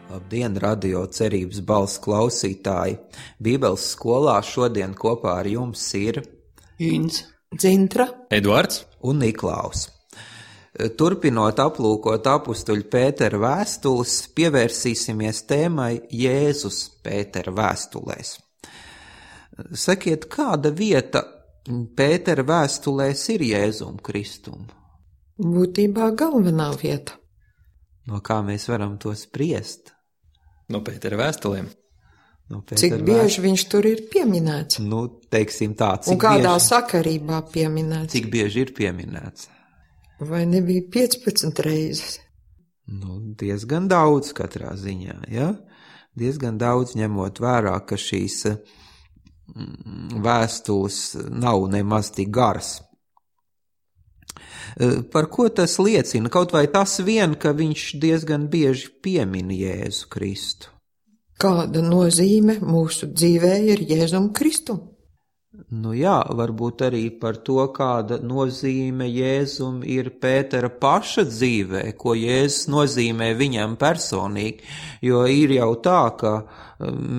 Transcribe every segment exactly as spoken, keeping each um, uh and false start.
Labdien, radio Cerības balss klausītāji! Bībeles skolā šodien kopā ar jums ir Inns, Dzintra, Eduards un Niklaus. Turpinot aplūkot apustuļa Pētera vēstules, pievērsīsimies tēmai Jēzus Pētera vēstulēs. Sakiet, kāda vieta Pētera vēstulēs ir Jēzum Kristum? būtībā galvenā vieta. No kā mēs varam to spriest? no Pētera vēstulēm. No Cik Pētera bieži viņš tur ir pieminēts? vēst- Nu, teiksim tā, cik Un kādā bieži, sakarībā pieminēts? cik bieži ir pieminēts? Vai nebija piecpadsmit reizes? Nu, diezgan daudz katrā ziņā, ja? Diezgan daudz ņemot vērā, ka šīs mm, vēstules nav nemaz tik garas. Par ko tas liecina? Kaut vai tas vien, ka viņš diezgan bieži piemin Jēzu Kristu. Kāda nozīme mūsu dzīvē ir Jēzum Kristum? Nu jā, varbūt arī par to, kāda nozīme Jēzum ir Pētera paša dzīvē, ko Jēzus nozīmē viņam personīgi, jo ir jau tā, ka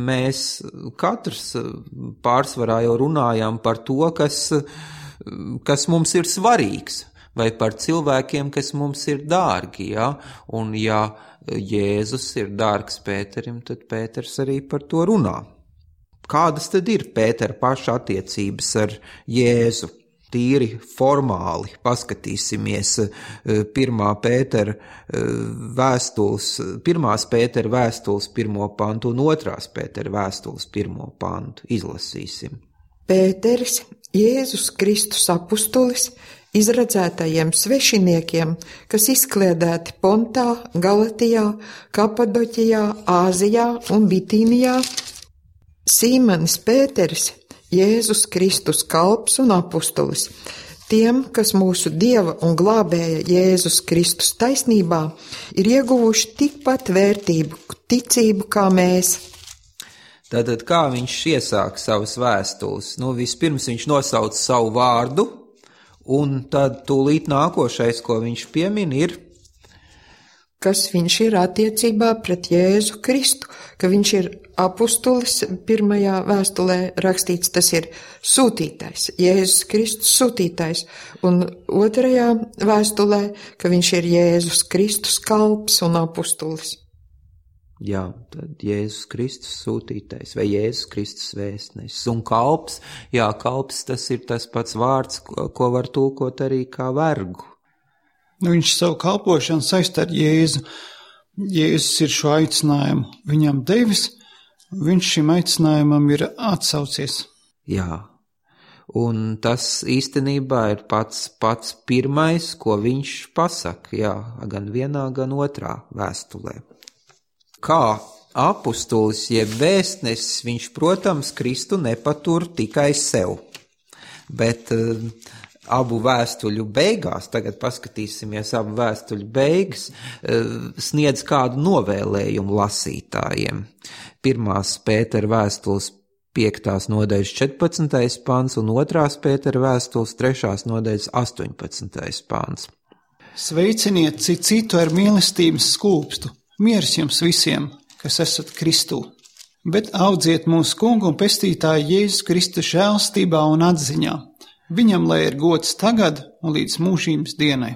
mēs katrs pārsvarā jau runājam par to, kas, kas mums ir svarīgs, vai par cilvēkiem, kas mums ir dārgi, ja? Un ja Jēzus ir dārgs Pēterim, tad Pēters arī par to runā. Kādas tad ir Pētera paša attiecības ar Jēzu? Tīri formāli paskatīsimies pirmā Pētera vēstules, pirmās Pētera vēstules pirmo pantu un otrās Pētera vēstules pirmo pantu. Izlasīsim. Pēteris, Jēzus Kristus apustulis, izredzētajiem svešiniekiem, kas izkliedēti Pontā, Galatijā, Kapadoķijā, Āzijā un Bitīnijā, Sīmanis Pēteris, Jēzus Kristus kalps un apustulis, tiem, kas mūsu Dieva un glābēja Jēzus Kristus taisnībā ir ieguvuši tikpat vērtību, ticību kā mēs. Tātad kā viņš iesāk savas vēstules? Nu, vispirms viņš nosauc savu vārdu, un tad tūlīt nākošais, ko viņš piemin, ir, kas viņš ir attiecībā pret Jēzu Kristu, ka viņš ir apustulis, pirmajā vēstulē rakstīts, tas ir sūtītais, Jēzus Kristus sūtītais, un otrajā vēstulē, ka viņš ir Jēzus Kristus kalps un apustulis. jā, tad Jēzus Kristus sūtītais vai Jēzus Kristus vēstnesis. Un kalps, jā, kalps tas ir tas pats vārds, ko, ko var tulkot arī kā vergu. Nu, viņš savu kalpošanu saista ar Jēzu. Jēzus ir šo aicinājumu viņam devis, viņš šim aicinājumam ir atsaucies. Jā, un tas īstenībā ir pats, pats pirmais, ko viņš pasaka, jā, gan vienā, gan otrā vēstulē. Kā apustulis jeb vēstnesis, viņš, protams, Kristu nepatur tikai sev, bet uh, abu vēstuļu beigās, tagad paskatīsimies abu vēstuļu beigas, sniedz kādu novēlējumu lasītājiem. Pirmās Pētera vēstules piektās nodaļas četrpadsmitais pants un otrās Pētera vēstules trešās nodaļas astoņpadsmitais pants. Sveiciniet citu citu ar mīlestības skūpstu, miers jums visiem, kas esat Kristū, bet audziet mūsu kungu un pestītāju Jēzus Kristu žēlstībā un atziņā. Viņam lai ir gods tagad un līdz mūžības dienai.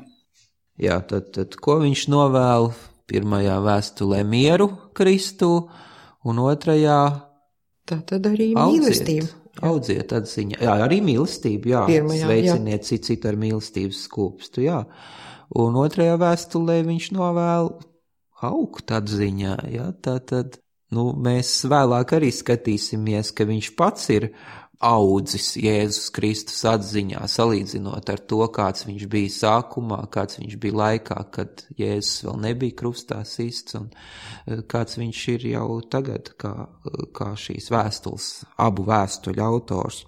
Jā, tad, tad ko viņš novēl? Pirmajā vēstulē mieru Kristu un otrajā Tā tad arī audziet, mīlestība. audziet atziņā. Jā, arī mīlestību, jā. Pirmajā, Sveiciniet citu citu ar mīlestības skūpstu, jā. Un otrajā vēstulē viņš novēl augt atziņā, jā. Tātad, nu, mēs vēlāk arī skatīsimies, ka viņš pats ir audzis Jēzus Kristus atziņā, salīdzinot ar to, kāds viņš bija sākumā, kāds viņš bija laikā, kad Jēzus vēl nebija krustā sists, un kāds viņš ir jau tagad, kā, kā šīs vēstules, abu vēstuļu autors.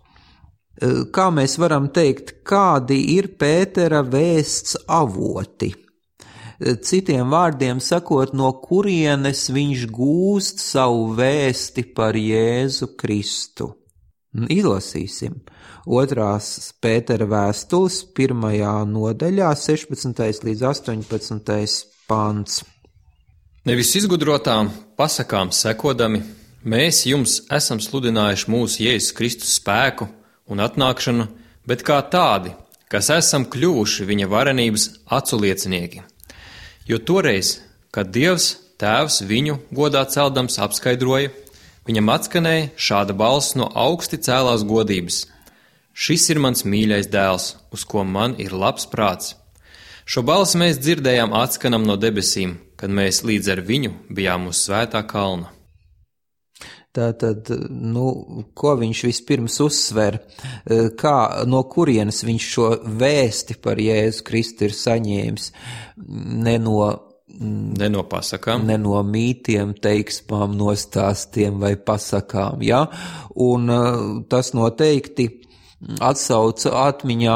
Kā mēs varam teikt, kādi ir Pētera vēsts avoti? Citiem vārdiem sakot, no kurienes viņš gūst savu vēsti par Jēzu Kristu. Izlasīsim. Otrās Pētera vēstules pirmajā nodaļā, sešpadsmitais līdz astoņpadsmitais pants. Nevis izgudrotām pasakām sekodami, mēs jums esam sludinājuši mūsu Jēzus Kristus spēku un atnākšanu, bet kā tādi, kas esam kļuvuši viņa varenības aculiecinieki. Jo toreiz, kad Dievs Tēvs viņu godā celdams apskaidroja, viņam atskanēja šāda balss no augsti cēlās godības. Šis ir mans mīļais dēls, uz ko man ir labs prāts. Šo balsi mēs dzirdējām atskanam no debesīm, kad mēs līdz ar viņu bijām uz svētā kalna. Tātad, nu, ko viņš vispirms uzsver, kā, no kurienes viņš šo vēsti par Jēzu Kristu ir saņēmis, ne no, ne no pasakām, ne no mītiem, teiksmām, nostāstiem vai pasakām, ja? Un tas noteikti atsauca atmiņā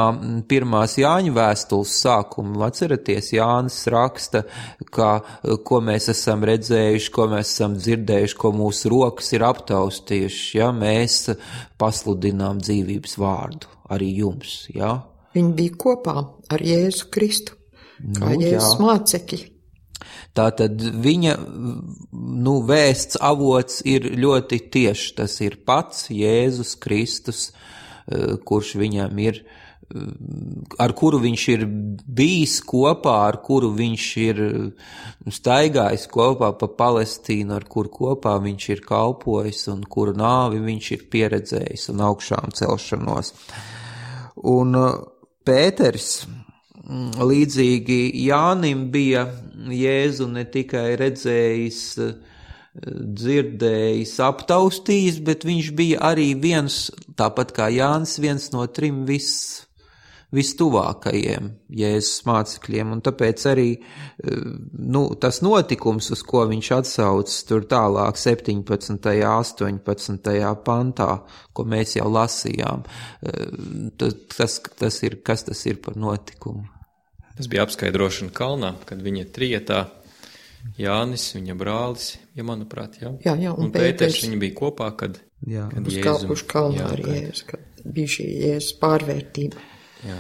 pirmās Jāņa vēstules sākumu. Atceraties, Jānis raksta, ka, ko mēs esam redzējuši, ko mēs esam dzirdējuši, ko mūsu rokas ir aptaustījuši, ja mēs pasludinām dzīvības vārdu arī jums, ja. Viņi bija kopā ar Jēzu Kristu, kā nu, Jēzus mācekļi. Tātad viņa, nu, vēsts avots ir ļoti tieši, tas ir pats Jēzus Kristus, kurš viņam ir, ar kuru viņš ir bijis kopā, ar kuru viņš ir staigājis kopā pa Palestīnu, ar kuru kopā viņš ir kalpojis un kuru nāvi viņš ir pieredzējis un augšām celšanos. Un Pēters, līdzīgi Jānim, bija Jēzu ne tikai redzējis, dzirdējis, aptaustījis, bet viņš bija arī viens, tāpat kā Jānis, viens no trim vis, vistuvākajiem Jēzus mācekļiem, un tāpēc arī, nu, tas notikums, uz ko viņš atsaucas tur tālāk septiņpadsmitajā, astoņpadsmitajā pantā, ko mēs jau lasījām, tas, tas ir, kas tas ir par notikumu? Tas bija apskaidrošana kalnā, kad viņa trietā Jānis, viņa brālis, ja manuprāt, jā. Jā, jā, un, un Pēters, viņi bija kopā, kad, jā, kad uz Jēzu. Kalpušu kalnu ar Jēzu, kad bija šī Jēzus pārvērtība. Jā,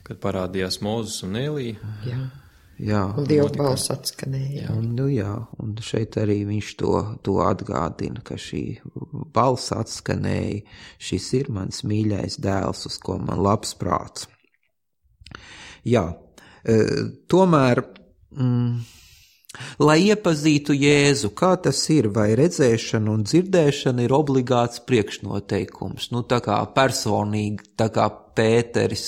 kad parādījās Mūzes un Elija. Jā, jā. Un Dieva balss atskanēja. Jā. Un, nu jā, un šeit arī viņš to, to atgādina, ka šī balss atskanēja, šis ir mans mīļais dēls, uz ko man labs prāts. Jā, e, tomēr... Mm, lai iepazītu Jēzu, kā tas ir, vai redzēšana un dzirdēšana ir obligāts priekšnoteikums. Nu, tā kā personīgi, tā kā Pēteris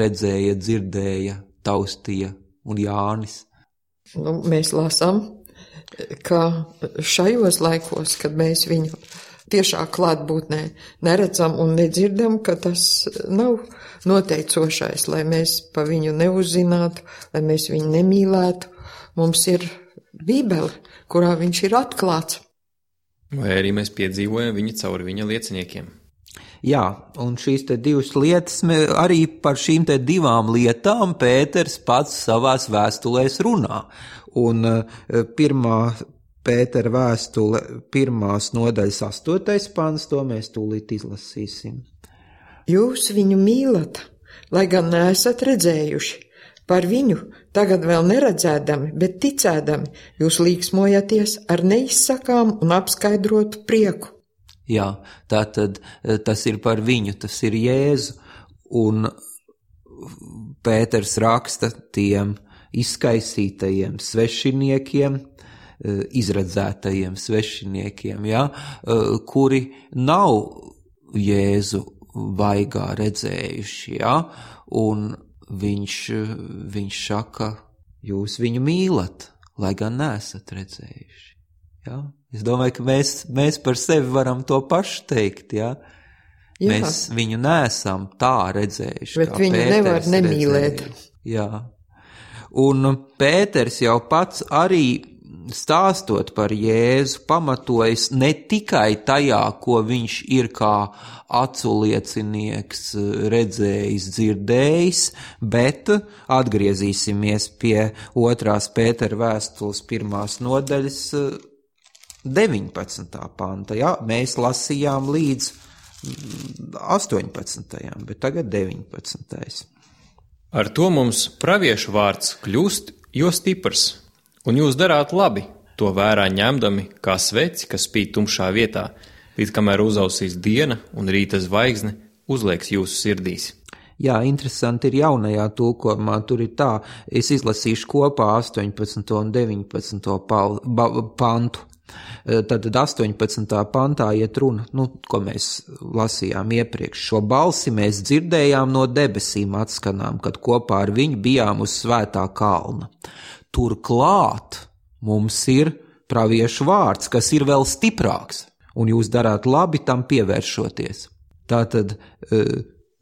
redzēja, dzirdēja, taustīja un Jānis. Nu, mēs lasām, ka šajos laikos, kad mēs viņu tiešā klātbūtnē neredzam un nedzirdam, ka tas nav noteicošais, lai mēs pa viņu neuzzinātu, lai mēs viņu nemīlētu. Mums ir Bībele, kurā viņš ir atklāts. Vai arī mēs piedzīvojam viņu caur viņa lieciniekiem. Jā, un šīs te divas lietas, arī par šīm te divām lietām Pēters pats savās vēstulēs runā. Un pirmā Pētera vēstule, pirmās nodaļas astotais pants, to mēs tūlīt izlasīsim. Jūs viņu mīlat, lai gan neesat redzējuši. Par viņu tagad vēl neredzēdami, bet ticēdami, jūs līksmojaties ar neizsakām un apskaidrotu prieku. Jā, tātad tas ir par viņu, tas ir Jēzu, un Pēters raksta tiem izkaisītajiem svešiniekiem, izredzētajiem svešiniekiem, ja, kuri nav Jēzu vaigā redzējuši, ja, un Viņš, viņš saka, jūs viņu mīlat, lai gan neesat redzējuši. Ja? Es domāju, ka mēs, mēs par sevi varam to pašu teikt. Ja? Jā. Mēs viņu neesam tā redzējuši. Bet viņu Pēters nevar nemīlēt. Redzējuši. Jā. Un Pēters jau pats arī stāstot par Jēzu pamatojas ne tikai tajā, ko viņš ir kā aculiecinieks redzējis, dzirdējis, bet atgriezīsimies pie otrās Pētera vēstules pirmās nodaļas deviņpadsmitā panta. Ja? Mēs lasījām līdz astoņpadsmitajam, bet tagad deviņpadsmitais. Ar to mums praviešu vārds kļūst jo stiprs. Un jūs darāt labi, to vērā ņemdami kā sveci, kas spīd tumšā vietā, līdz kamēr uzausīs diena un rīta zvaigzne uzlieks jūsu sirdīs. Jā, interesanti ir jaunajā tulkojumā, tur ir tā, es izlasīšu kopā astoņpadsmito un deviņpadsmito pal, ba, pantu. Tad astoņpadsmitā pantā iet runa, nu, ko mēs lasījām iepriekš. Šo balsi mēs dzirdējām no debesīm atskanām, kad kopā ar viņu bijām uz svētā kalna. Turklāt mums ir praviešu vārds, kas ir vēl stiprāks, un jūs darāt labi tam pievēršoties. Tātad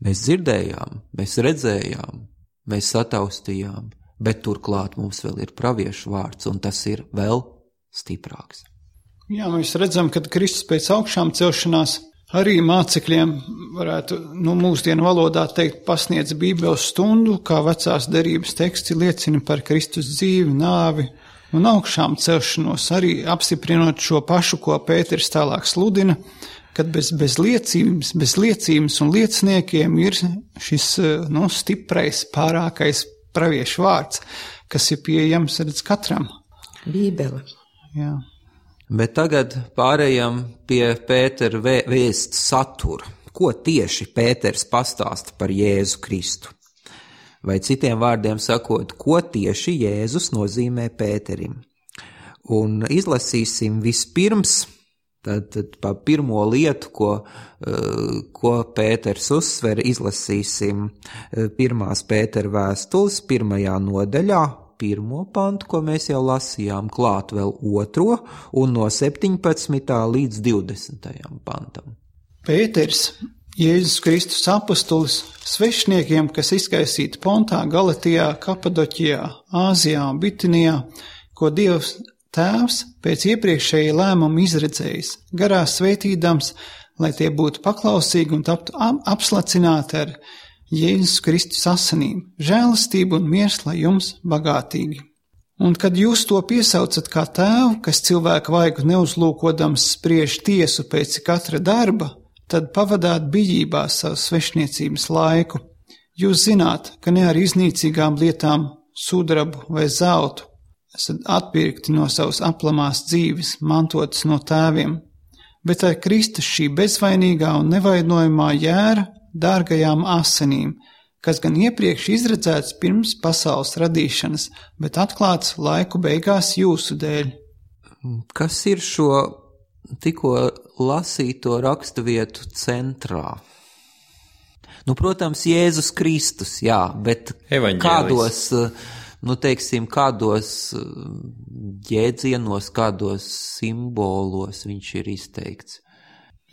mēs dzirdējām, mēs redzējām, mēs sataustījām, bet turklāt mums vēl ir praviešu vārds, un tas ir vēl stiprāks. Jā, mēs redzam, ka Kristus pēc augšām celšanās arī mācekļiem varētu, nu, mūsdienu valodā teikt, pasniedz Bībeles stundu, kā vecās derības teksti liecina par Kristus dzīvi, nāvi un augšām celšanos, arī apstiprinot šo pašu, ko Pēters tālāk sludina, kad bez, bez liecības, bez liecības un lieciniekiem ir šis, nu, stiprais, pārākais praviešu vārds, kas ir pieejams redz katram. Bībele. Jā. Bet tagad pārējām pie Pētera vēsts satura. Ko tieši Pēters pastāsta par Jēzu Kristu? Vai citiem vārdiem sakot, ko tieši Jēzus nozīmē Pēterim? Un izlasīsim vispirms Tad, tad pa pirmo lietu, ko, ko Pēters uzsver, izlasīsim pirmās Pētera vēstules pirmajā nodaļā, pirmo pantu, ko mēs jau lasījām, klāt vēl otro, un no septiņpadsmitā līdz divdesmitajam pantam. Pēters, Jēzus Kristus apostolis, svešniekiem, kas izkaisīti Pontā, Galatijā, Kapadoķijā, Āzijā un Bitinijā, ko Dievs Tēvs pēc iepriekšēja lēmuma izredzējis, garā svētīdams, lai tie būtu paklausīgi un taptu apslacināti ar Jēzus Kristus asinīm, žēlastību un miers, lai jums bagātīgi. Un kad jūs to piesaucat kā tēvu, kas cilvēku vaigu neuzlūkodams spriež tiesu pēc katra darba, tad pavadāt bijībā savu svešniecības laiku. Jūs zināt, ka ne ar iznīcīgām lietām, sudrabu vai zeltu, esat atpirkti no savas aplamās dzīves, mantotas no tēviem, bet ar Kristus šī bezvainīgā un nevainojamā jēra dārgajām asinīm, kas gan iepriekš izredzēts pirms pasaules radīšanas, bet atklāts laiku beigās jūsu dēļ. Kas ir šo tikko lasīto raksturvietu centrā? Nu, protams, Jēzus Kristus, jā, bet kādos... Nu, teiksim, kādos jēdzienos, kādos simbolos viņš ir izteikts.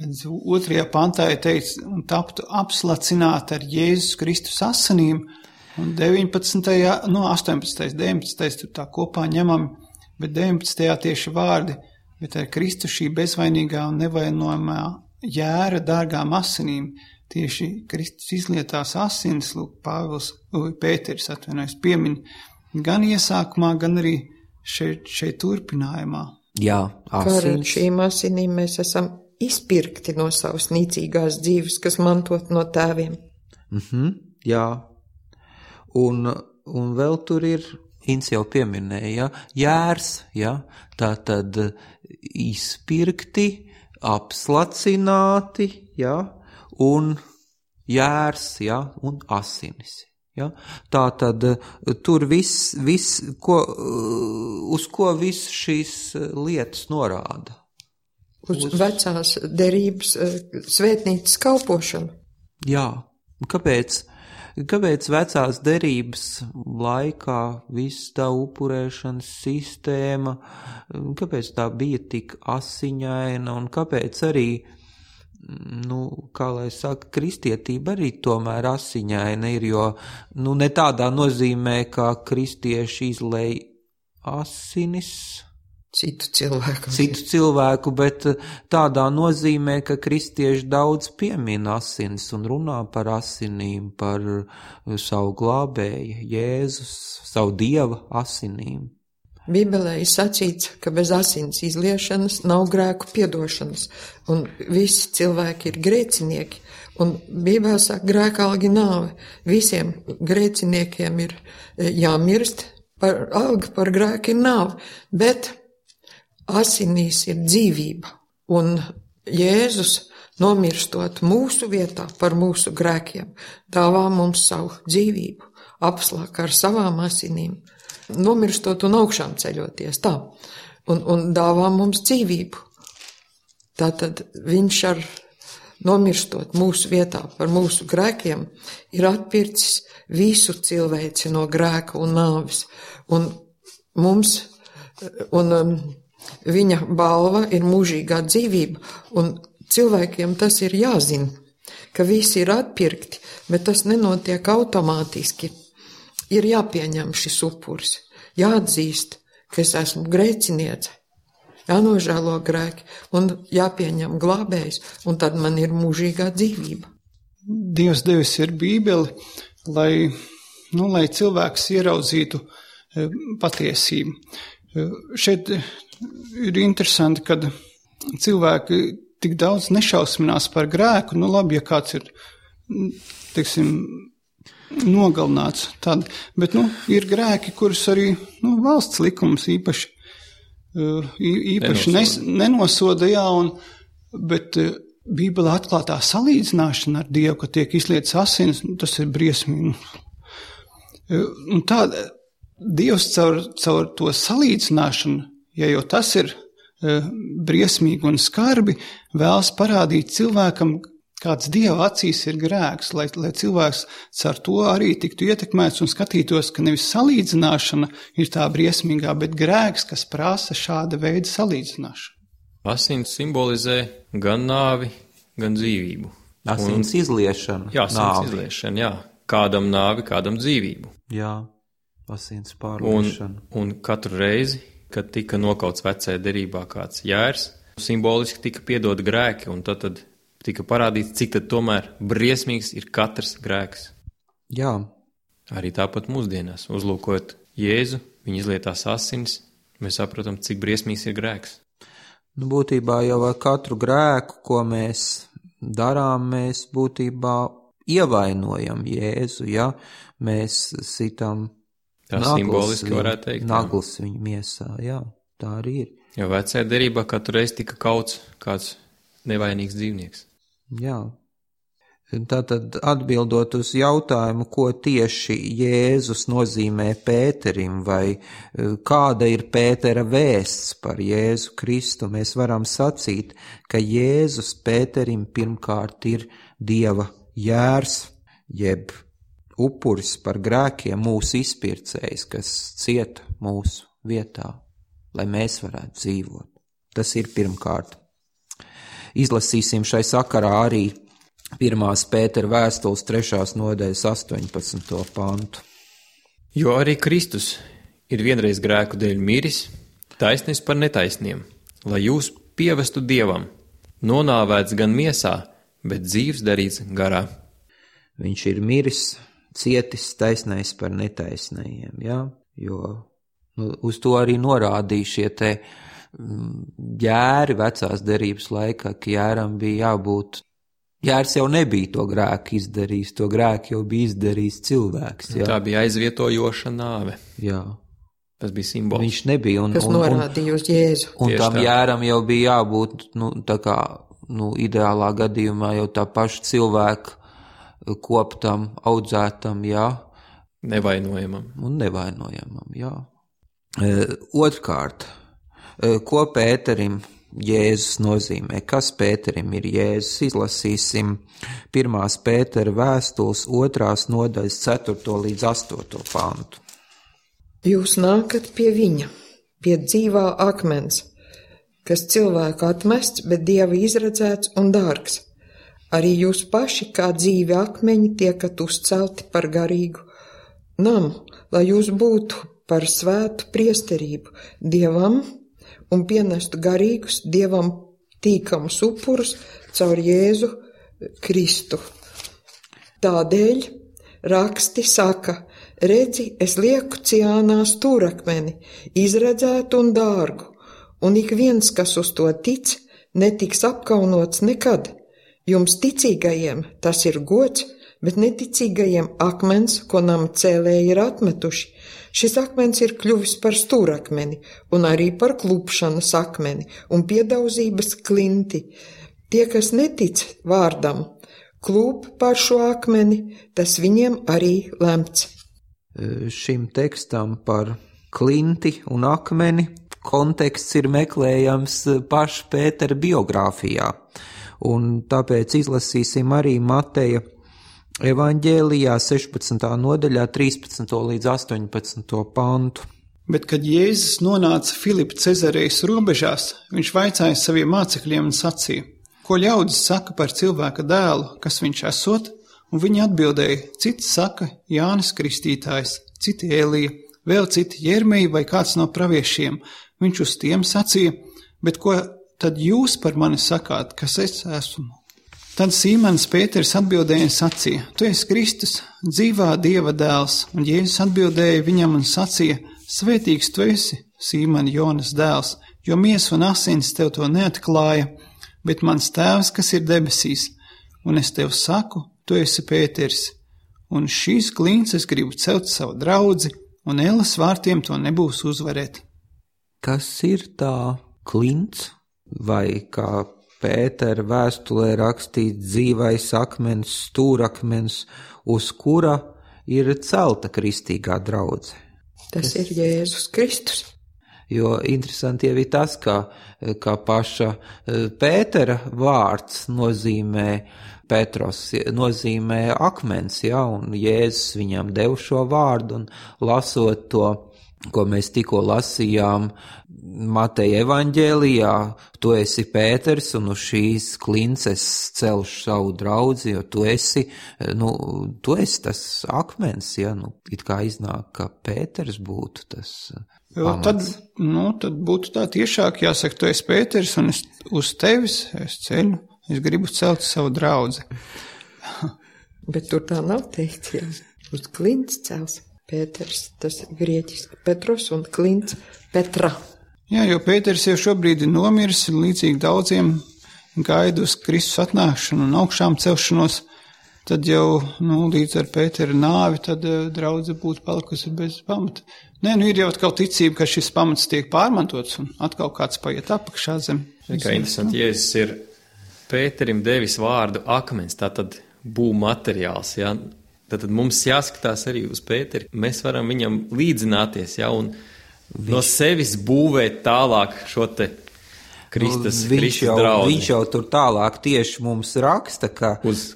Otrajā pantā ir teikts, un taptu apslacināti ar Jēzus Kristus asinīm, un deviņpadsmitajā, no astoņpadsmitajā, deviņpadsmitajā tur tā kopā ņemam, bet deviņpadsmitajā tieši vārdi, bet ar Kristus šī bezvainīgā un nevainojamā jēra dārgām asinīm, tieši Kristus izlietās asinis, lūk, Pāvils, Pēteris atvainojas, piemin, gan iesākumā, gan arī šeit, šeit turpinājumā. Jā, asins. Kā ar šīm asinīm mēs esam izpirkti no savas nīcīgās dzīves, kas mantot no tēviem. Mhm, jā. Un, un vēl tur ir, Inns jau pieminēja, jērs, jā, tā tad izpirkti, apslacināti, jā, un jērs, jā, un asinis. Ja? Tā tad tur viss, vis, ko, uz ko viss šīs lietas norāda? Uz, uz vecās derības svētnīcas kalpošanu. Jā, kāpēc, kāpēc vecās derības laikā viss tā upurēšanas sistēma, kāpēc tā bija tik asiņaina un kāpēc arī, nu, kā lai saka, kristietība arī tomēr asiņaina ir, jo, nu, ne tādā nozīmē, kā kristieši izlej asinis citu cilvēku. Citu cilvēku, bet tādā nozīmē, ka kristieši daudz piemina asinis un runā par asinīm, par savu glābēju, Jēzus, savu Dieva asinīm. Bībelē ir sacīts, ka bez asins izliešanas nav grēku piedošanas, un visi cilvēki ir grēcinieki, un Bībelē saka, grēkalgi nāve. Visiem grēciniekiem ir jāmirst, par alga par grēku ir nāve, bet asinīs ir dzīvība, un Jēzus, nomirstot mūsu vietā par mūsu grēkiem, dāvā mums savu dzīvību, apslāk ar savām asinīm, nomirstot un augšām ceļoties, tā, un, un dāvā mums dzīvību. Tātad viņš ar nomirstot mūsu vietā par mūsu grēkiem ir atpircis visu cilvēci no grēka un nāves, un mums, un um, viņa balva ir mūžīgā dzīvība, un cilvēkiem tas ir jāzina, ka visi ir atpirkti, bet tas nenotiek automātiski. Ir jāpieņem šis upuris, jāatzīst, ka es esmu grēciniece, jānožēlo grēki un jāpieņem glābējs, un tad man ir mūžīgā dzīvība. Dievs devis ir Bībeli, lai, nu, lai cilvēks ieraudzītu e, patiesību. E, šeit ir interesanti, kad cilvēki tik daudz nešausminās par grēku, nu labi, ja kāds ir, teiksim, nogalināts, tad, bet, nu, ir grēki, kurus arī, nu, valsts likums īpaši, īpaši nes, nenosoda, jā, un, bet Bībelē atklātā salīdzināšana ar Dievu, ka tiek izlietas asins, nu, tas ir briesmīgi. Un tā, Dievs caur, caur to salīdzināšanu, ja jau tas ir briesmīgi un skarbi, vēlas parādīt cilvēkam, kāds Dieva acīs ir grēks, lai, lai cilvēks ar to arī tiktu ietekmēts un skatītos, ka nevis salīdzināšana ir tā briesmīgā, bet grēks, kas prasa šāda veida salīdzināšanu. Asins simbolizē gan nāvi, gan dzīvību. Asins un, izliešana. Jā, asins nāvi. izliešana, jā. Kādam nāvi, kādam dzīvību. Jā, asins pārliešana. Un, un katru reizi, kad tika nokauts vecajā derībā kāds jērs, simboliski tika piedot grēki, un tad, tad tika parādīts, cik tad tomēr briesmīgs ir katrs grēks. Jā. Arī tāpat mūsdienās, uzlūkojot Jēzu, viņa izlietās asins, mēs saprotam, cik briesmīgs ir grēks. Nu, būtībā jau ar katru grēku, ko mēs darām, mēs būtībā ievainojam Jēzu, ja mēs sitam tā simboliski varētu teikt. Nagls viņa miesā, jā, tā arī ir. Jo vecajā derībā katru reizi tika kauts kāds nevainīgs dzīvnieks. Jā. Tātad atbildot uz jautājumu, ko tieši Jēzus nozīmē Pēterim, vai kāda ir Pētera vēsts par Jēzu Kristu, mēs varam sacīt, ka Jēzus Pēterim pirmkārt ir Dieva jērs, jeb upuris par grēkiem, mūsu izpircējs, kas cieta mūsu vietā, lai mēs varētu dzīvot. Tas ir pirmkārt. Izlasīsim šai sakarā arī pirmās Pētera vēstules trešās nodaļas astoņpadsmito pantu. Jo arī Kristus ir vienreiz grēku dēļ miris, taisnis par netaisniem, lai jūs pievestu Dievam, nonāvēts gan miesā, bet dzīvs darīts garā. Viņš ir miris, cietis taisnais par netaisnējiem, jā, jo nu, uz to arī norādīja šie te jēri vecās derības laikā, ka jēram bija jābūt, jērs jau nebija to grēku izdarījis, to grēku jau bija izdarījis cilvēks, jā. Tā bija aizvietojoša nāve. Jā. Tas bija simbols. Viņš nebija. Un, kas un, norādīja uz Jēzu. Un, un tam tā. Jēram jau bija jābūt, nu, tā kā, nu, ideālā gadījumā jau tā paša cilvēka koptam, audzētam, jā. Nevainojamam. Un nevainojamam, jā. E, otrkārt, e, ko Pēterim Jēzus nozīmē? Kas Pēterim ir Jēzus? Izlasīsim pirmās Pētera vēstules otrās nodaļas ceturto līdz astoto pantu. Jūs nākat pie viņa, pie dzīvā akmens, kas cilvēku atmests, bet Dieva izredzēts un dārgs. Arī jūs paši kā dzīvi akmeņi tiekat uzcelti par garīgu namu, lai jūs būtu par svētu priesterību Dievam un pienestu garīgus Dievam tīkamus upurus caur Jēzu Kristu. Tādēļ raksti saka, redzi, es lieku Ciānā stūrakmeni, izredzētu un dārgu, un ik viens, kas uz to tic, netiks apkaunots nekad. Jums ticīgajiem tas ir gods, bet neticīgajiem akmens, ko nama cēlēji ir atmetuši. Šis akmens ir kļuvis par stūrakmeni un arī par klupšanas akmeni un piedauzības klinti. Tie, kas netic vārdam, klūp par šo akmeni, tas viņiem arī lemts. Šim tekstam par klinti un akmeni konteksts ir meklējams paša Pētera biogrāfijā, un tāpēc izlasīsim arī Mateja evaņģēlijā sešpadsmitā nodaļā trīspadsmito līdz astoņpadsmito pantu. Bet, kad Jēzus nonāca Filipa Cezarejas robežās, viņš vaicāja saviem mācekļiem un sacīja: ko ļaudis saka par cilvēka dēlu, kas viņš esot? Un viņi atbildēja: citi saka Jānis Kristītājs, citi Elija, vēl citi Jermeja vai kāds no praviešiem. Viņš uz tiem sacīja: bet ko tad jūs par mani sakāt, kas es esmu? Tad Sīmanis Pēters atbildēja un sacīja: tu esi Kristus, dzīvā Dieva dēls. Un Jēzus atbildēja viņam un sacīja: svētīgs tu esi, Sīmani Jonas dēls, jo miesa un asins tev to neatklāja, bet mans tēvs, kas ir debesīs. Un es tev saku, tu esi Pēters, un šīs klints es gribu celt savu draudzi, un Ēlas vārtiem to nebūs uzvarēt. Kas ir tā klints, vai kā Pētera vēstulē rakstīts dzīvais akmens, stūrakmens, uz kura ir celta kristīgā draudze? Tas ir Jēzus Kristus. Jo interesanti jau ir tas, ka, ka paša Pētera vārds nozīmē Petros, nozīmē akmens, ja, un Jēzus viņam dev šo vārdu, un lasot to, ko mēs tikko lasījām Mateja evaņģēlijā, tu esi Pēters, un uz šīs klints es celšu savu draudzi, jo tu esi, nu, tu esi tas akmens, ja, nu, it kā iznāk, ka Pēters būtu tas pamats. Tad, nu, tad būtu tā tiešāk jāsaka, tu esi Pēters, un es uz tevis es ceļu, es gribu celt savu draudzi. Bet tur tā nav teikts, jā, uz klints cels. Pēters, tas grieķiski Petros un klints Petra. Jā, jo Pēters jau šobrīd ir nomiris, līdzīgi daudziem gaida uz Kristus atnākšanu un augšām celšanos, tad jau, nu, līdz ar Pētera nāvi, tad uh, draudze būtu palikusi bez pamata. Nē, nu, ir jau atkal ticība, ka šis pamats tiek pārmantots un atkal kāds paiet apakšā zem. Kā interesanti, Jēzus ir Pēterim devis vārdu akmens, tātad būv materiāls, jā. Tad mums jāskatās arī uz Pēteri. Mēs varam viņam līdzināties, ja, un viņš, no sevis būvēt tālāk šo te Kristus, nu, viņš Kristus jau, draudzi. Viņš jau tur tālāk tieši mums raksta, ka,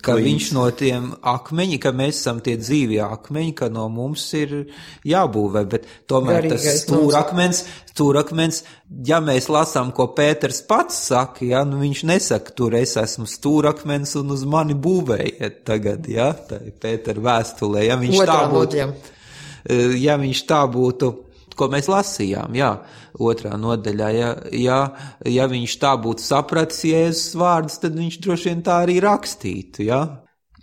ka viņš no tiem akmeņi, ka mēs esam tie dzīvie akmeņi, ka no mums ir jābūvē, bet tomēr Garīgais tas stūrakmens, stūrakmens, ja mēs lasām, ko Pēters pats saka, ja, nu viņš nesaka, tur es esmu stūrakmens un uz mani būvējiet tagad, ja, tā ir Pētera vēstulē, ja viņš Otrā tā būtu, nodaļa. ja viņš tā būtu, ko mēs lasījām, jā, otrā nodaļā, ja, ja, ja viņš tā būtu sapratis Jēzus vārdus, tad viņš droši vien tā arī rakstītu, jā.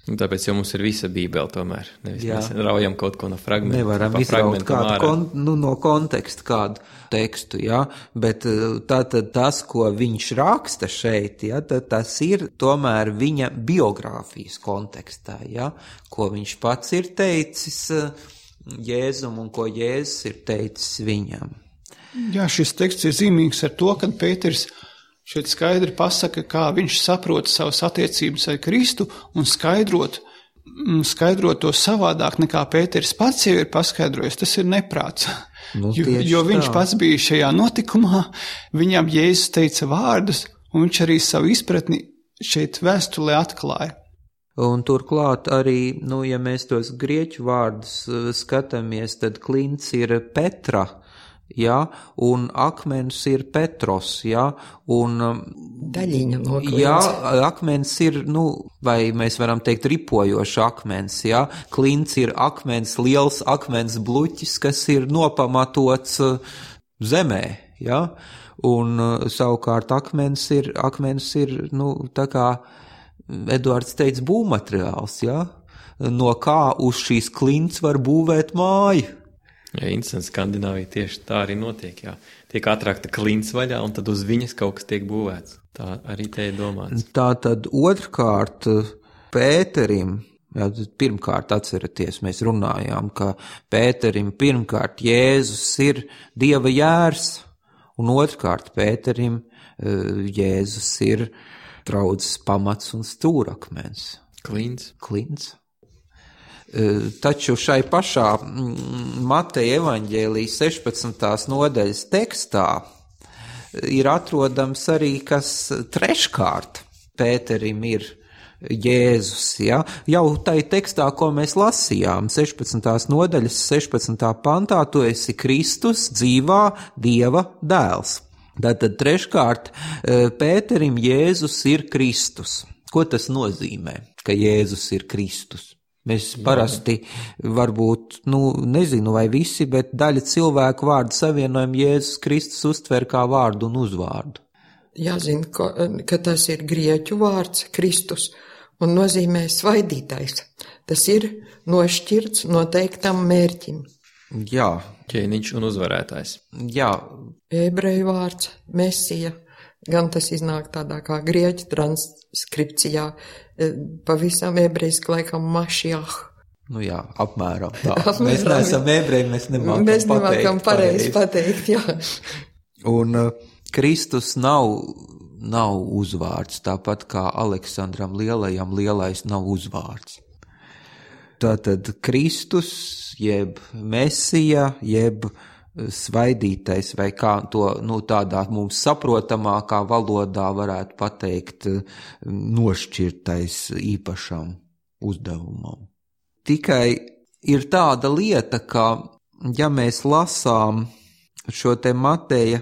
Un tāpēc jau mums ir visa Bībele tomēr, nevis jā. Mēs raujam kaut ko no fragmenta. Nevaram izraut kādu, kon, nu, no konteksta kādu tekstu, jā, bet tātad tas, ko viņš raksta šeit, jā, tad tas ir tomēr viņa biogrāfijas kontekstā, jā, ko viņš pats ir teicis Jēzum un ko Jēzus ir teicis viņam. Jā, šis teksts ir zīmīgs ar to, kad Pēters šeit skaidri pasaka, kā viņš saprot savas attiecības ar Kristu un skaidrot, skaidrot to savādāk nekā Pēters pats jau ir paskaidrojis. Tas ir neprāts, nu, jo, jo viņš tā. pats bija šajā notikumā, viņam Jēzus teica vārdus, un viņš arī savu izpratni šeit vēstulē atklāja. Un turklāt arī, nu, ja mēs tos grieķu vārdus skatāmies, tad klints ir Petra, jā, un akmens ir Petros, jā, un daļiņa no klints. Jā, akmens ir, nu, vai mēs varam teikt ripojošs akmens, jā, klints ir akmens, liels akmens bluķis, kas ir nopamatots zemē, jā, un savukārt akmens ir, akmens ir, nu, tā kā Eduards teica, būvmateriāls, jā, no kā uz šīs klints var būvēt māju. Jā, interesanti, Skandināvija tieši tā arī notiek, jā. Tiek atrakta klints vaļā, un tad uz viņas kaut kas tiek būvēts. Tā arī te ir domāts. Tā tad otrkārt Pēterim Jā, pirmkārt, atceraties, mēs runājām, ka Pēterim pirmkārt Jēzus ir Dieva jērs, un otrkārt Pēterim Jēzus ir draudzes pamats un stūrakmens. Klints. Klints. Taču šai pašā Mateja evaņģēlijas sešpadsmitās nodaļas tekstā ir atrodams arī, kas treškārt Pēterim ir Jēzus, ja? Jau tai tekstā, ko mēs lasījām, sešpadsmitās nodaļas sešpadsmitā pantā, tu esi Kristus, dzīvā Dieva dēls. Tātad treškārt Pēterim Jēzus ir Kristus. Ko tas nozīmē, ka Jēzus ir Kristus? Mēs parasti varbūt, nu, nezinu vai visi, bet daļa cilvēku vārdu savienojumu Jēzus Kristus uztver kā vārdu un uzvārdu. Jāzina, ka, ka tas ir grieķu vārds Kristus un nozīmē svaidītais. Tas ir nošķirts noteiktam mērķim. Jā. Ķēniņš un uzvarētājs. Jā. Ebreju vārds Mesija, gan tas iznāk tādā kā grieķu transkripcijā, pavisam ebrejiski laikam Mašiach. Nu jā, apmēram tā. Apmēram, mēs neesam ebreji, mēs nemākam mēs nemākam pateikt pareizi pateikt, jā. Un uh, Kristus nav, nav uzvārds, tāpat kā Aleksandram Lielajam lielais nav uzvārds. Tātad Kristus, jeb Mesija, jeb svaidītais, vai kā to, nu, tādā mums saprotamākā valodā varētu pateikt, nošķirtais īpašam uzdevumam. Tikai ir tāda lieta, ka, ja mēs lasām šo te Mateja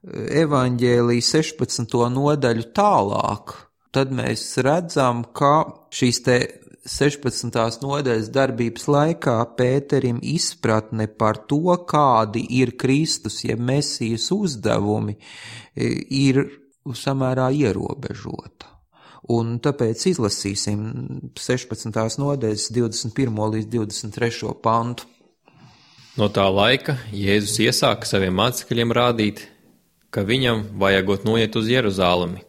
evaņģēlija sešpadsmito nodaļu tālāk, tad mēs redzam, ka šīs te sešpadsmitās nodaļas darbības laikā Pēterim izpratne par to, kādi ir Kristus, jeb Mesijas uzdevumi, ir samērā ierobežota. Un tāpēc izlasīsim sešpadsmitās nodaļas divdesmit pirmo līdz divdesmit trešo pantu. No tā laika Jēzus iesāka saviem mācekļiem rādīt, ka viņam vajagot noiet uz Jeruzālemi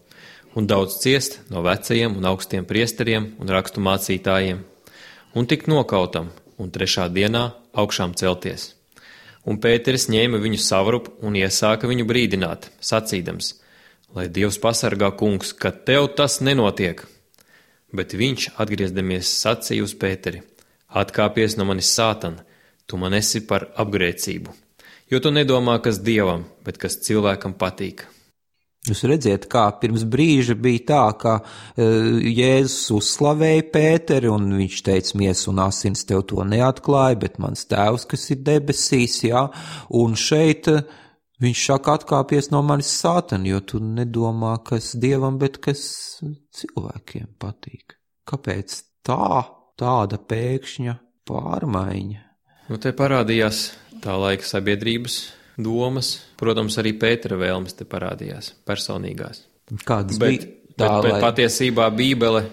un daudz ciest no vecajiem un augstiem priesteriem un rakstu mācītājiem, un tikt nokautam, un trešā dienā augšām celties. Un Pēteris ņēma viņu savrup un iesāka viņu brīdināt, sacīdams, lai Dievs pasargā, kungs, ka tev tas nenotiek. Bet viņš, atgriezdamies, sacīja uz Pēteri, atkāpies no manis sātana, tu man esi par apgrēcību, jo tu nedomā, kas Dievam, bet kas cilvēkam patīk. Jūs redziet, kā pirms brīža bija tā, ka Jēzus uzslavēja Pēteri, un viņš teica, miesa un asins tev to neatklāja, bet mans tēvs, kas ir debesīs, jā, un šeit viņš saka, atkāpies no manis sātana, jo tu nedomā, kas Dievam, bet kas cilvēkiem patīk. Kāpēc tā, tāda pēkšņa pārmaiņa? Nu, te parādījās tā laika sabiedrības domas, protams, arī Pētera vēlmes te parādījās, personīgās. Kādas bet, bija tā, bet, bet lai... patiesībā Bībele,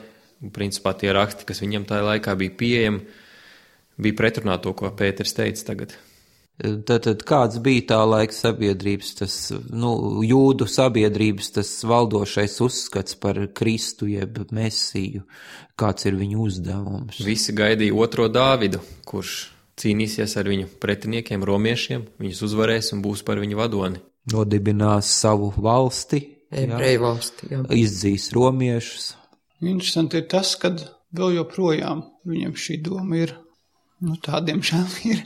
principā tie raksti, kas viņam tajā laikā bija pieejami, bija pretrunā to, ko Pēters teica tagad. Tātad kāds bija tā laika sabiedrības, tas, nu, jūdu sabiedrības, tas valdošais uzskats par Kristu jeb Mesiju, kāds ir viņu uzdevums? Visi gaidīja otro Dāvidu, kurš cīnīsies ar viņu pretiniekiem, romiešiem, viņus uzvarēs un būs par viņu vadoni. Nodibinās savu valsti, ebreju valsti, jā. Izdzīs romiešus. Interesanti ir tas, kad vēl joprojām viņam šī doma ir, nu tādiem žēl ir,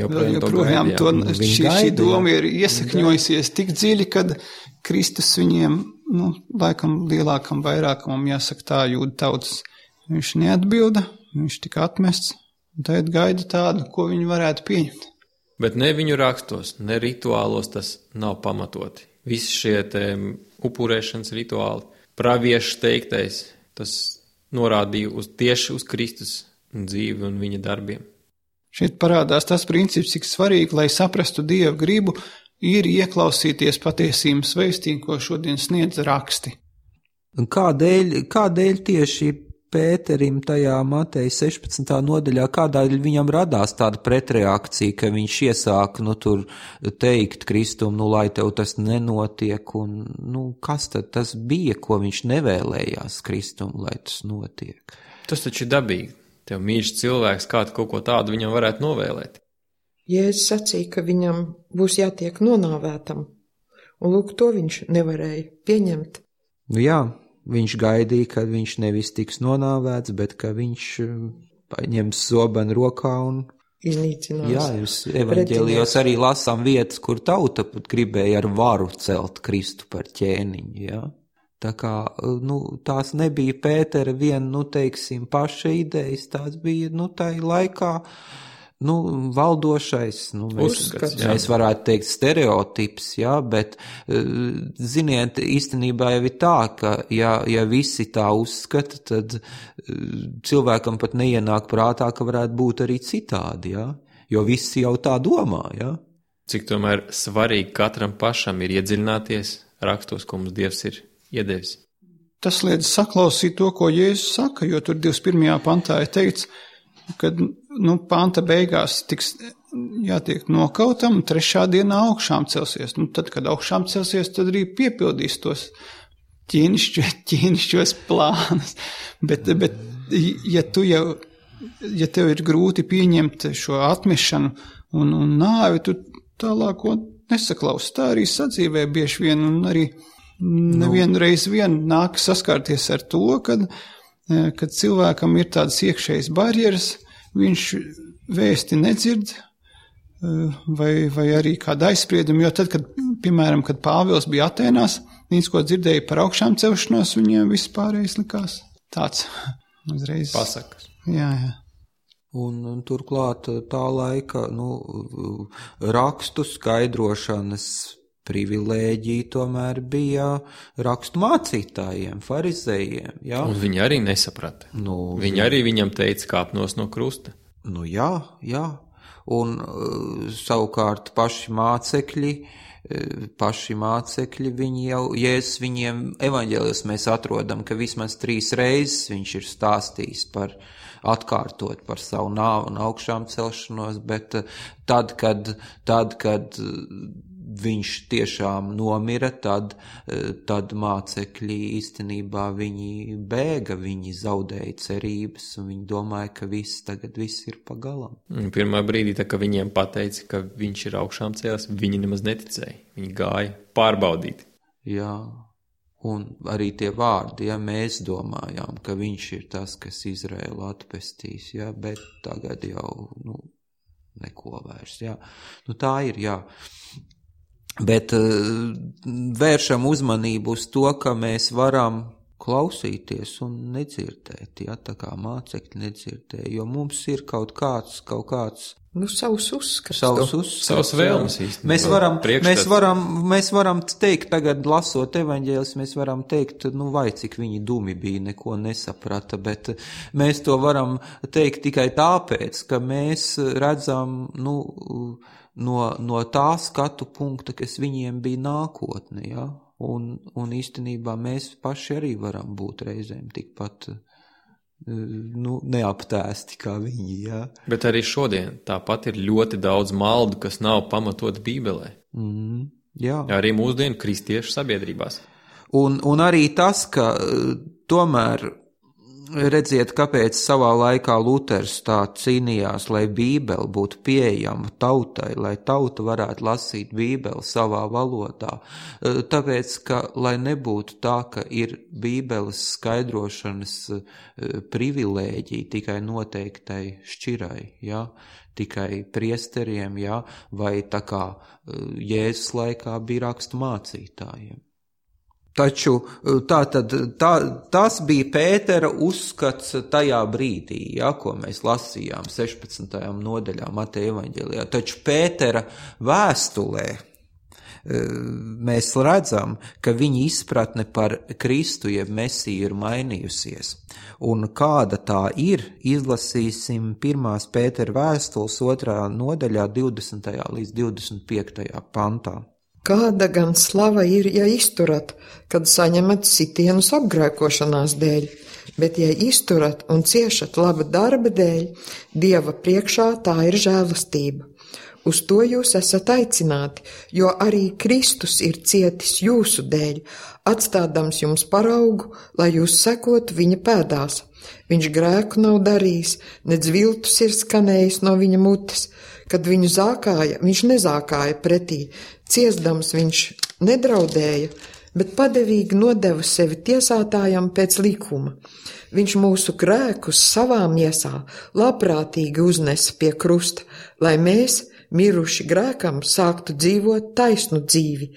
joprojām, joprojām to, to šī, šī doma ir iesakņojusies tik dziļi, kad Kristus viņiem, nu, laikam lielākam vairākumam jāsaka tā jūda tautas, viņš neatbilda, viņš tika atmests. Tad gaida tādu, ko viņi varētu pieņemt. Bet ne viņu rakstos, ne rituālos tas nav pamatoti. Visi šie te upurēšanas rituāli, praviešu teiktais, tas norādīja uz, tieši uz Kristus dzīvi un viņa darbiem. Šeit parādās tas princips, cik svarīgi, lai saprastu Dievu gribu, ir ieklausīties patiesības vēstī, ko šodien sniedz raksti. Kādēļ, kādēļ tieši Pēterim tajā Mateja sešpadsmitā nodaļā, kādēļ viņam radās tāda pretreakcija, ka viņš iesāka, nu, tur teikt Kristum, nu, lai tev tas nenotiek, un, nu, kas tad tas bija, ko viņš nevēlējās Kristum, lai tas notiek? Tas taču ir dabīgi. tev mīļš cilvēks, kā tu kaut ko tādu viņam varētu novēlēt? Jēzus sacīja, ka viņam būs jātiek nonāvētam, un lūk, to viņš nevarēja pieņemt. Nu jā, viņš gaidīja, ka viņš nevis tiks nonāvēts, bet ka viņš paņems zobenu rokā un iznīcinās. Jā, jūs evaņģēlijos arī lasām vietas, kur tauta pat gribēja ar varu celt Kristu par ķēniņu, jā. Tā kā, nu, tās nebija Pētera vien, nu, teiksim, paša idejas, tās bija, nu, tai laikā, nu, valdošais, nu, mēs, Uzskats, mēs varētu teikt stereotips, jā, bet, ziniet, īstenībā jau ir tā, ka, ja, ja visi tā uzskata, tad cilvēkam pat neienāk prātā, ka varētu būt arī citādi, jā, jo visi jau tā domā, jā. Cik tomēr svarīgi katram pašam ir iedziļināties rakstos, ko mums Dievs ir iedevis. Tas liedz saklausīt to, ko Jēzus saka, jo tur divdesmit pirmajā pantā ir teikts, kad, nu, panta beigās tiks jātiek nokautam, trešā dienā augšām celsies. Nu, tad, kad augšām celsies, tad arī piepildīs tos ķīnišķos, ķīnišķos plānus. Bet, bet, ja tu jau, ja tev ir grūti pieņemt šo atmešanu un, un nāvi, tu tālāko nesaklaus. Tā arī sadzīvē bieži vien, un arī nevienu reizi vien nāk saskārties ar to, kad kad cilvēkam ir tādas iekšējas barjeras, viņš vēsti nedzird, vai, vai arī kāda aizsprieduma, jo tad, kad, piemēram, kad Pāvils bija Atēnās, viņš, ko dzirdēja par augšām celšanos, viņiem viss pārējais likās tāds uzreiz. Pasakas. Jā, jā. Un, un turklāt tā laika, nu, rakstu skaidrošanas privilēģija tomēr bija rakstu mācītājiem, farizējiem, jā. Un viņi arī nesaprata. Nu, viņi arī viņam teica kāpnos no krusta. Nu jā, jā. Un savukārt paši mācekļi, paši mācekļi, viņi jau, Jēzus viņiem evaņģēlijos mēs atrodam, ka vismaz trīs reizes viņš ir stāstījis par atkārtot par savu nāvu un augšām celšanos, bet tad, kad, tad, kad viņš tiešām nomira, tad, tad mācekļi īstenībā viņi bēga, viņi zaudēja cerības, un viņi domāja, ka viss tagad viss ir pagalam. Pirmā brīdī, tā, ka viņiem pateica, ka viņš ir augšām cēlies, viņi nemaz neticēja. Viņi gāja pārbaudīt. Jā, un arī tie vārdi, ja mēs domājām, ka viņš ir tas, kas Izraēlu atpestīs, jā, bet tagad jau, nu, neko vairs, jā. Nu, tā ir, jā. Bet uh, vēršam uzmanību uz to, ka mēs varam klausīties un nedzirdēt, ja, tā kā mācekļi nedzirdēja, jo mums ir kaut kāds, kaut kāds, nu, savus uzskats, savus uzskats, savus vēlmes īstenībā. Mēs varam, mēs varam, mēs varam teikt, tagad lasot evaņģēlis, mēs varam teikt, nu, vai cik viņi dumi bija, neko nesaprata, bet mēs to varam teikt tikai tāpēc, ka mēs redzam, nu, no, no tā skatu punkta, kas viņiem bija nākotne, ja? un, un īstenībā mēs paši arī varam būt reizēm tikpat, nu, neaptēsti kā viņi, ja? Bet arī šodien tāpat ir ļoti daudz maldu, kas nav pamatot Bībelē. Mm, jā. Arī mūsdienu kristiešu sabiedrībās. Un, un arī tas, ka tomēr redziet, kāpēc savā laikā Luters tā cīnījās, lai Bībele būtu pieejama tautai, lai tauta varētu lasīt Bībeli savā valodā. Tāpēc, ka, lai nebūtu tā, ka ir Bībeles skaidrošanas privilēģija tikai noteiktai šķirai, ja? Tikai priesteriem, ja? Vai tā kā Jēzus laikā bija rakstu mācītājiem. Taču tā tad, tā, tas bija Pētera uzskats tajā brīdī, ja, ko mēs lasījām sešpadsmitajā nodaļā Mateja evaņģēlijā. Taču Pētera vēstulē mēs redzam, ka viņa izpratne par Kristu jeb Mesiju ir mainījusies. Un kāda tā ir, izlasīsim pirmās Pētera vēstules otrā nodaļā divdesmitajā līdz divdesmit piektajā pantā. Kāda gan slava ir, ja izturat, kad saņemat sitienus apgrēkošanās dēļ, bet ja izturat un ciešat laba darba dēļ, Dieva priekšā tā ir žēlastība. Uz to jūs esat aicināti, jo arī Kristus ir cietis jūsu dēļ, atstādams jums paraugu, lai jūs sekotu viņa pēdās. Viņš grēku nav darījis, nedz viltus ir skanējis no viņa mutes. Kad viņu zākāja, viņš nezākāja pretī, ciesdams viņš nedraudēja, bet padevīgi nodeva sevi tiesātājam pēc likuma. Viņš mūsu grēkus savā miesā labprātīgi uznesa pie krusta, lai mēs, miruši grēkam, sāktu dzīvot taisnu dzīvi.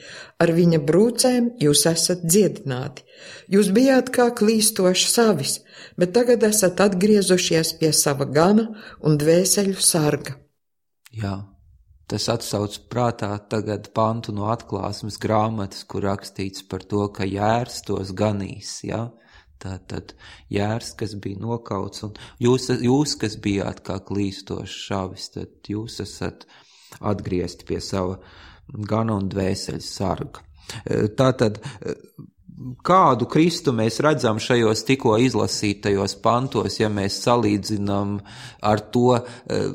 Ar viņa brūcēm jūs esat dziedināti. Jūs bijāt kā klīstoši savis, bet tagad esat atgriezušies pie sava gana un dvēseļu sarga. Jā, tas atsauc prātā tagad pantu no Atklāsmes grāmatas, kur rakstīts par to, ka jērs tos ganīs, jā. Tātad jērs, kas bija nokauts, un jūs, jūs kas bijāt kā klīstoši šavis, tad jūs esat atgriezti pie sava gana un dvēseļu sarga. Tātad, kādu Kristu mēs redzam šajos tikko izlasītajos pantos, ja mēs salīdzinām ar to,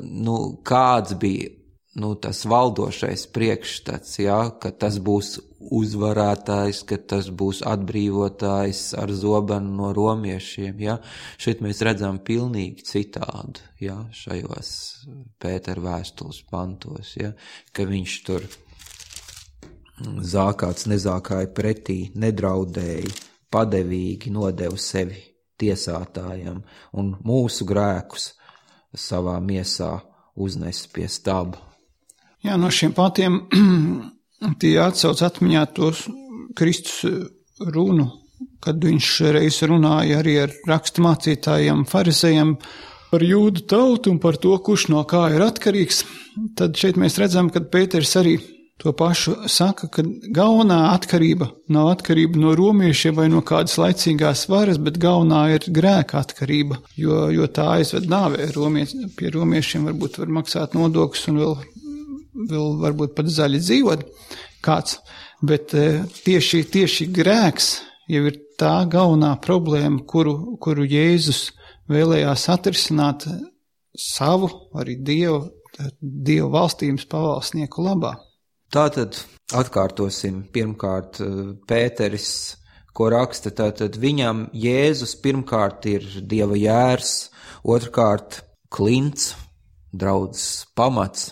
nu, kāds bija, nu, tas valdošais priekšstats, ja, ka tas būs uzvarētājs, ka tas būs atbrīvotājs ar zobenu no romiešiem, ja. Šeit mēs redzam pilnīgi citādu, ja, šajos Pētera vēstules pantos, ja, ka viņš tur zākāts nezākāja pretī, nedraudēja, padevīgi nodeva sevi tiesātājam un mūsu grēkus savā miesā uznes pie staba. Jā, no šiem pantiem tie atsauc atmiņā tos Kristus runu, kad viņš reiz runāja arī ar raksturmācītājiem, farizejiem par jūdu tautu un par to, kurš no kā ir atkarīgs. Tad šeit mēs redzam, ka Pēters arī to pašu saka, ka galvenā atkarība nav atkarība no romiešiem vai no kādas laicīgās varas, bet galvenā ir grēka atkarība, jo, jo tā aizved nāvē. Romies, pie romiešiem varbūt var maksāt nodokļus un vēl, vēl varbūt pat zaļi dzīvot kāds, bet tieši, tieši grēks jau ir tā galvenā problēma, kuru, kuru Jēzus vēlējās atrisināt savu, arī Dievu, Dievu valstības pavalsnieku labā. Tātad atkārtosim pirmkārt Pēteris, ko raksta, tātad viņam Jēzus pirmkārt ir Dieva jērs, otrkārt klints, draudzes pamats,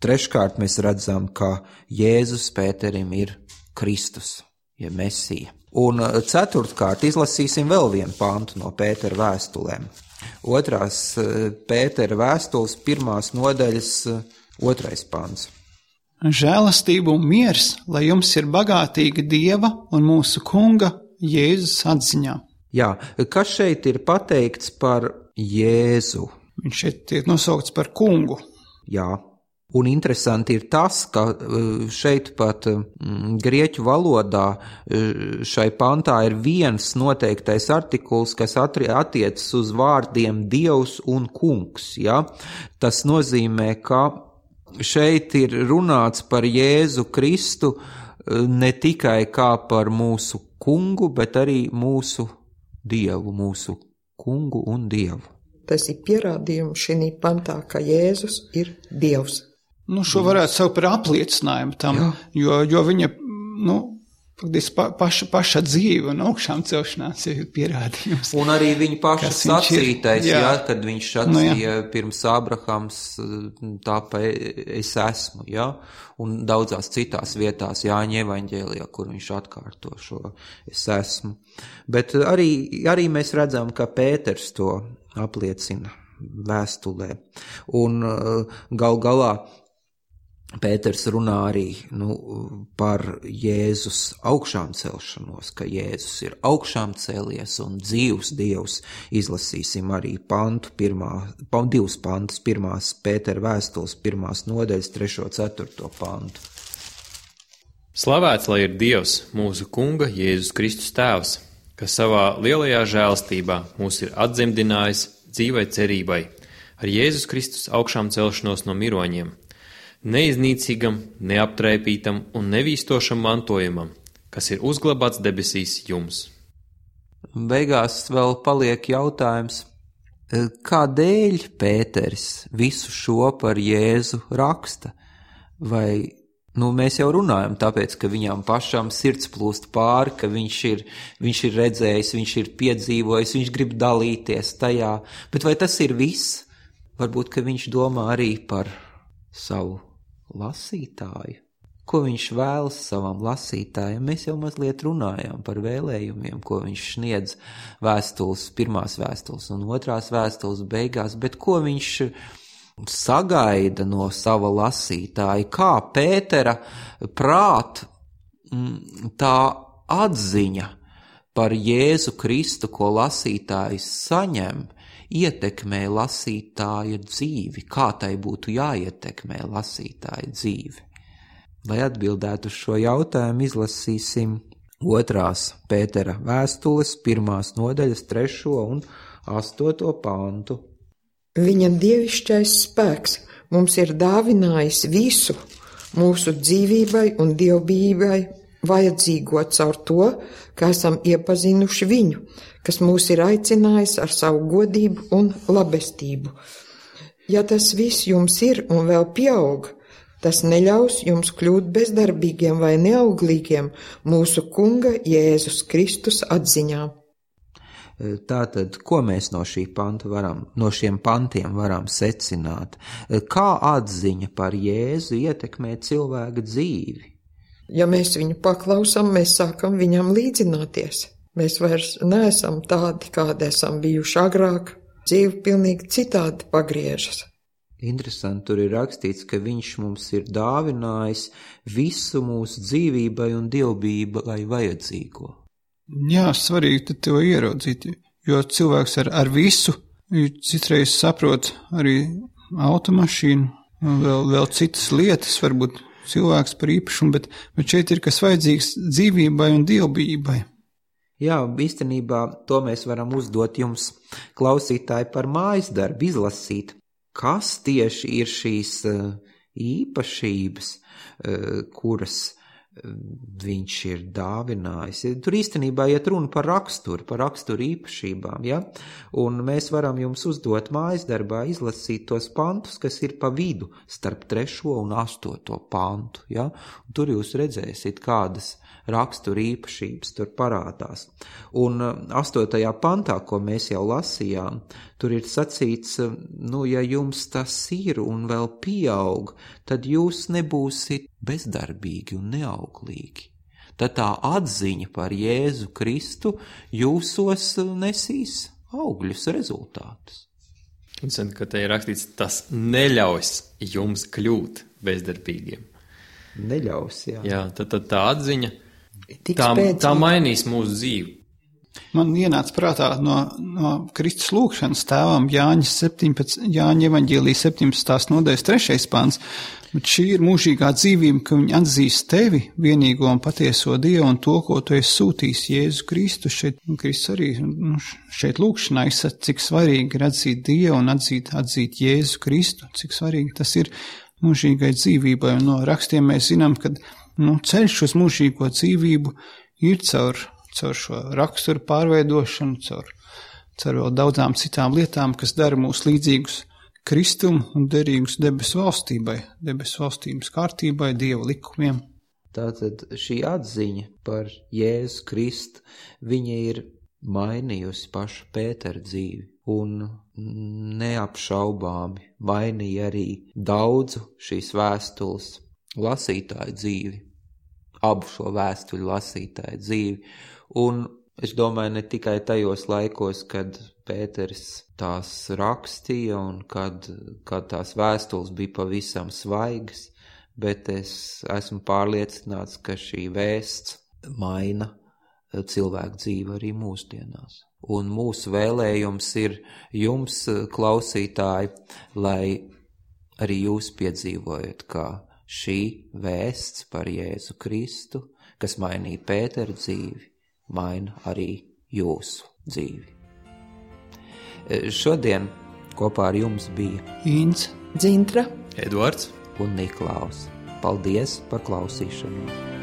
treškārt mēs redzam, ka Jēzus Pēterim ir Kristus, ja Mesija. Un ceturtkārt izlasīsim vēl vienu pantu no Pētera vēstulēm. Otrās Pētera vēstules pirmās nodaļas otrais pants. Žēlastība un miers, lai jums ir bagātīga Dieva un mūsu Kunga Jēzus atziņā. Jā, kas šeit ir pateikts par Jēzu? Viņš šeit tiek nosaukts par kungu. Jā, un interesanti ir tas, ka šeit pat grieķu valodā šai pantā ir viens noteiktais artikuls, kas attiecas uz vārdiem Dievs un kungs. Ja? Tas nozīmē, ka šeit ir runāts par Jēzu Kristu ne tikai kā par mūsu kungu, bet arī mūsu Dievu, mūsu kungu un Dievu. Tas ir pierādījums šī pantā, ka Jēzus ir Dievs. Nu, šo varētu saukt par apliecinājumu tam, jo, jo viņa, nu, pa, paša, paša dzīve un augšām celšanās ir pierādījums. Un arī viņa paša sacītais, jā. jā, kad viņš sacīja nu, pirms Ābrahams, tāpēc es esmu, jā, un daudzās citās vietās Jāņa evaņģēlijā, kur viņš atkārto šo es esmu. Bet arī, arī mēs redzam, ka Pēters to apliecina vēstulē. Un gal galā Pēters runā arī nu, par Jēzus augšām celšanos, ka Jēzus ir augšām cēlies un dzīvs Dievs. Izlasīsim arī pantu, pirmā, divas pantus, pirmās Pētera vēstules, pirmās nodaļas, trešo, ceturto pantu. Slavēts lai ir Dievs, mūsu Kunga Jēzus Kristus tēvs, kas savā lielajā žēlstībā mūs ir atdzemdinājis dzīvai cerībai ar Jēzus Kristus augšām celšanos no miroņiem, neiznīcīgam, neaptraipītam un nevīstošam mantojumam, kas ir uzglabāts debesīs jums. Beigās vēl paliek jautājums, kādēļ Pēteris visu šo par Jēzu raksta? vai, nu, mēs jau runājam tāpēc, ka viņām pašām sirds plūst pāri, ka viņš ir, viņš ir redzējis, viņš ir piedzīvojis, viņš grib dalīties tajā, bet vai tas ir viss? Varbūt, ka viņš domā arī par savu lasītāju. Ko viņš vēlas savam lasītājam? Mēs jau mazliet runājām par vēlējumiem, ko viņš sniedz vēstules, pirmās vēstules un otrās vēstules beigās, bet ko viņš sagaida no sava lasītāja? Kā Pētera prāt tā atziņa par Jēzu Kristu, ko lasītājs saņem, ietekmē lasītāja dzīvi? Kā tai būtu jāietekmē lasītāja dzīvi? Lai atbildētu uz šo jautājumu, izlasīsim otrās Pētera vēstules, pirmās nodaļas, trešo un astoto pantu. Viņa dievišķais spēks mums ir dāvinājis visu mūsu dzīvībai un dievbijībai vajadzīgo caur to, ka esam iepazinuši viņu, kas mūs ir aicinājis ar savu godību un labestību. Ja tas viss jums ir un vēl pieaug, tas neļaus jums kļūt bezdarbīgiem vai neauglīgiem mūsu Kunga Jēzus Kristus atziņā. Tātad, ko mēs no šī panta varam, no šiem pantiem varam secināt? Kā atziņa par Jēzu ietekmē cilvēka dzīvi? Ja mēs viņu paklausām, mēs sākam viņam līdzināties. Mēs vairs neesam tādi, kādi esam bijuši agrāk. Dzīve pilnīgi citādi pagriežas. Interesanti, tur ir rakstīts, ka viņš mums ir dāvinājis visu mūsu dzīvībai un dievbijībai vajadzīgo. Jā, svarīgi tad to ieraudzīt, jo cilvēks ar, ar visu citreiz saprot arī automašīnu, vēl, vēl citas lietas, varbūt cilvēks par īpašumu, bet, bet šeit ir kas vajadzīgs dzīvībai un dievbijībai. Jā, īstenībā to mēs varam uzdot jums, klausītāji, par mājas darbu izlasīt. Kas tieši ir šīs īpašības, kuras viņš ir dāvinājis? Tur īstenībā iet runa par raksturu, par raksturu īpašībām, ja? Un mēs varam jums uzdot mājas darbā izlasīt tos pantus, kas ir pa vidu starp trešo un astoto pantu, ja? Un tur jūs redzēsiet, kādas rakstura īpašības tur parādās. Un astotajā pantā, ko mēs jau lasījām, tur ir sacīts, nu, ja jums tas ir un vēl pieaug, tad jūs nebūsit bezdarbīgi un neauglīgi. Tad tā atziņa par Jēzu Kristu jūsos nesīs augļus rezultātus. Un ka te ir rakstīts, tas neļaus jums kļūt bezdarbīgiem. Neļaus, jā. Jā, tad, tad tā atziņa Tā, tā mainīs mūsu dzīvi. Man ienāca prātā no, no Kristus lūgšanas tēvam Jāņa septiņpadsmit, Jāņa evaņģēlija septiņpadsmitās nodaļas trešais pants, bet šī ir mūžīgā dzīvība, ka viņi atzīst tevi, vienīgo un patieso Dievu un to, ko tu esi sūtījis Jēzu Kristu. Šeit Kristus arī nu, šeit lūgšanā izsaka, cik svarīgi ir atzīt Dievu un atzīt, atzīt Jēzu Kristu, cik svarīgi tas ir mūžīgai dzīvībai. Un no rakstiem mēs zinām, ka nu, ceļš uz mūžīgo dzīvību ir caur, caur šo raksturu pārveidošanu, caur, caur vēl daudzām citām lietām, kas dara mūs līdzīgus Kristumu un derīgus debesu valstībai, debesu valstības kārtībai, Dieva likumiem. Tātad šī atziņa par Jēzu Kristu, viņa ir mainījusi pašu Pētera dzīvi un neapšaubāmi mainīja arī daudzu šīs vēstules lasītāju dzīvi, abu šo vēstuļu lasītāju dzīvi, un es domāju ne tikai tajos laikos, kad Pēteris tās rakstīja un kad, kad tās vēstules bija pavisam svaigas, bet es esmu pārliecināts, ka šī vēsts maina cilvēku dzīvi arī mūsdienās. Un mūsu vēlējums ir jums, klausītāji, lai arī jūs piedzīvojat, kā šī vēsts par Jēzu Kristu, kas mainīja Pētera dzīvi, maina arī jūsu dzīvi. Šodien kopā ar jums bija Ints, Dzintra, Eduards un Niklaus. Paldies par klausīšanos!